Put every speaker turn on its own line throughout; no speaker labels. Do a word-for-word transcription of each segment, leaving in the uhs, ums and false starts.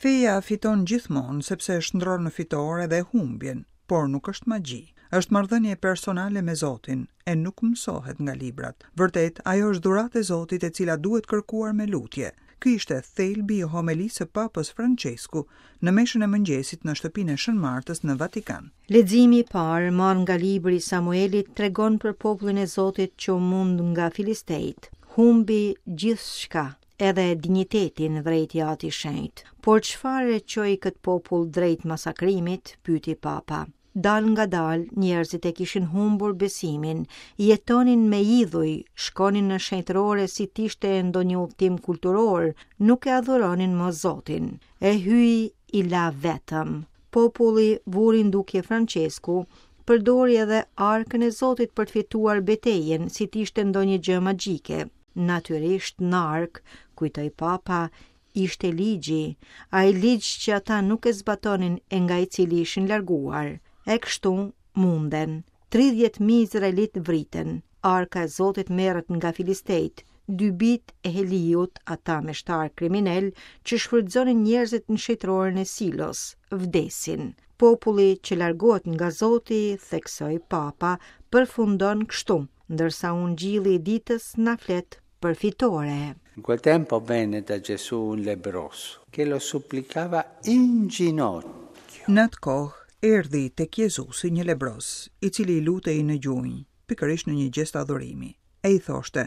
Feja fiton gjithmonë sepse shndërron në fitore dhe humbjen, por nuk është magji. Është marrëdhënie personale me Zotin e nuk mësohet nga librat. Vërtet, ajo është dhuratë e Zotit e cila duhet kërkuar me lutje. Ky ishte thelbi i homelisë së Papës Francesku në meshën e mëngjesit në shtëpinë e Shën Martës në Vatikan.
Leximi i parë, marrë nga libri i Samuelit, tregon për popullin e Zotit që u mund nga filistejt. Humbi gjithçka, edhe dinjitetin, vërejti Ati i Shenjt. Por çfarë e çoi këtë popull drejt masakrimit, pyeti Papa. Dal nga dal, njerëzit e kishin humbur besimin, jetonin me idhuj, shkonin në shenjtërore si t'ishte ndonjë udhtim kulturor, nuk e adhuronin më Zotin. E Hyji i la vetëm. Populli, vuri në dukje Francesku, përdori edhe arkën e Zotit për të fituar betejën, si t'ishte ndonjë gjë magjike. Natyrisht në arkë, kujtoi Papa, ishte ligji, ai ligj që ata nuk e zbatonin e nga i cili ishin larguar. E kështu munden. tridhjetë mijë izraelit vriten. Arka e Zotit merret nga filistejt, dy bijtë e Heliut, ata meshtar kriminal që shfrytëzonin njerëzit në shenjtëroren e Silos, vdesin. Populli që largohet nga Zoti, theksoi Papa, përfundon kështu, ndërsa ungjilli i ditës na flet për fitore.
In quel tempo venne da Gesù un lebbroso che lo supplicava in ginocchio.
Në atë kohë, erdhi tek Jezusi një lebros, i cili i lutej në gjunjë, pikërisht në një gjest adhurimi. E i thoshte: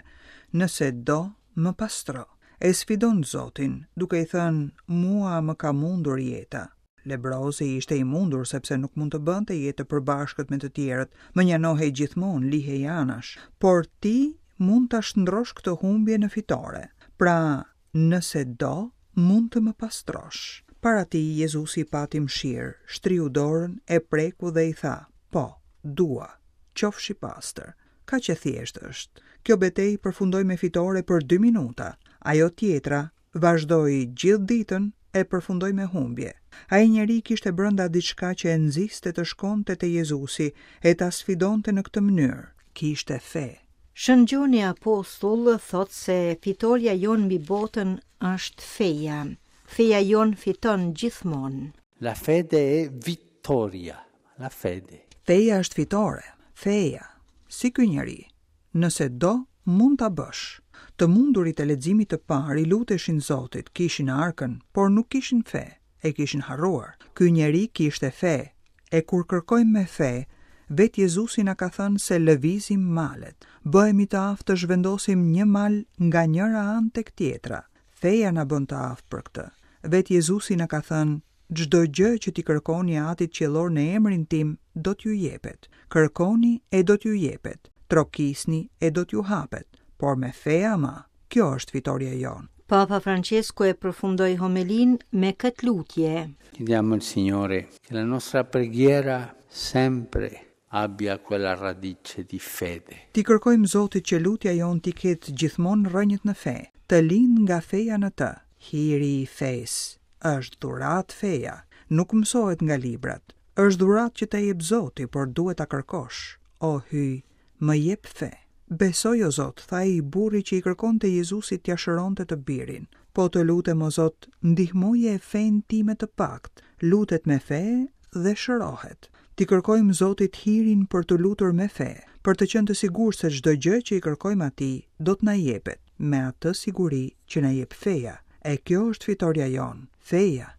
"Nëse do, më pastro." E sfidon Zotin, duke i thënë: "Mua më ka mundur jeta." Lebrozi ishte i mundur sepse nuk mund të bënte jetë të përbashkët me të tjerët, mënjanohej gjithmonë, lihej anash, por ti mund ta shndrosh këtë humbje në fitore. Pra, nëse do, mund të më pastrosh. Para tij Jezusi pati mëshirë, shtriu dorën, e preku dhe i tha: "Po, dua, qofsh i pastër." Kaq e thjeshtë është. Kjo betejë përfundoi me fitore për dy minuta. Ajo tjetra vazhdoi gjithë ditën e përfundoi me humbje. Ai njeri kishte brenda diçka që e nxiste të shkonte te Jezusi e ta sfidonte në këtë mënyrë. Kishte fe.
Shën Gjoni Apostull thot se fitorja jonë mbi botën është feja. Feja jonë fiton gjithmonë.
La fede è vittoria, la fede.
Feja është fitore, feja, si ky njeri. Nëse do, mund ta bësh. Të mundurit e leximit të parë i luteshin Zotit, kishin arkën, por nuk kishin fe, e kishin harruar. Ky njeri kishte fe, e kur kërkojmë me fe, vetë Jezusi na ka thënë se lëvizim malet. Bëhemi të aftë të zhvendosim një mal nga njëra anë tek tjetra. Feja na bën të aftë për këtë. Vetë Jezusi na ka thënë: "Çdo gjë që ti kërkoni Atit Qiellor në emrin tim, do t'ju jepet. Kërkoni e do t'ju jepet. Trokisni e do t'ju hapet." Por me fe ama, kjo është fitorja jonë.
Papa Francesco e përfundoi homelinë me këtë lutje.
Chiediamo al Signore che la nostra preghiera sempre abbia quella radice di fede.
Ti kërkojmë Zotit që lutja jonë t'i ketë gjithmonë rrënjët në fe, të lind nga feja në të. Hiri i fesë është dhuratë feja, nuk mësohet nga librat. Është dhuratë që të jep Zoti, por duhet ta kërkosh. O Hyj, më jep fe. Besoj, o Zot, tha ai burri që i kërkonte Jezusit t'ia shëronte të birin. Po të lutem, o Zot, ndihmoje fenë time të pakt. Lutet me fe dhe shërohet. Ti kërkojmë Zotit hirin për të lutur me fe, për të qenë të sigurt se çdo gjë që i kërkojmë atij do të na jepet, me atë siguri që na jep feja. E kjo është fitorja jonë. Feja.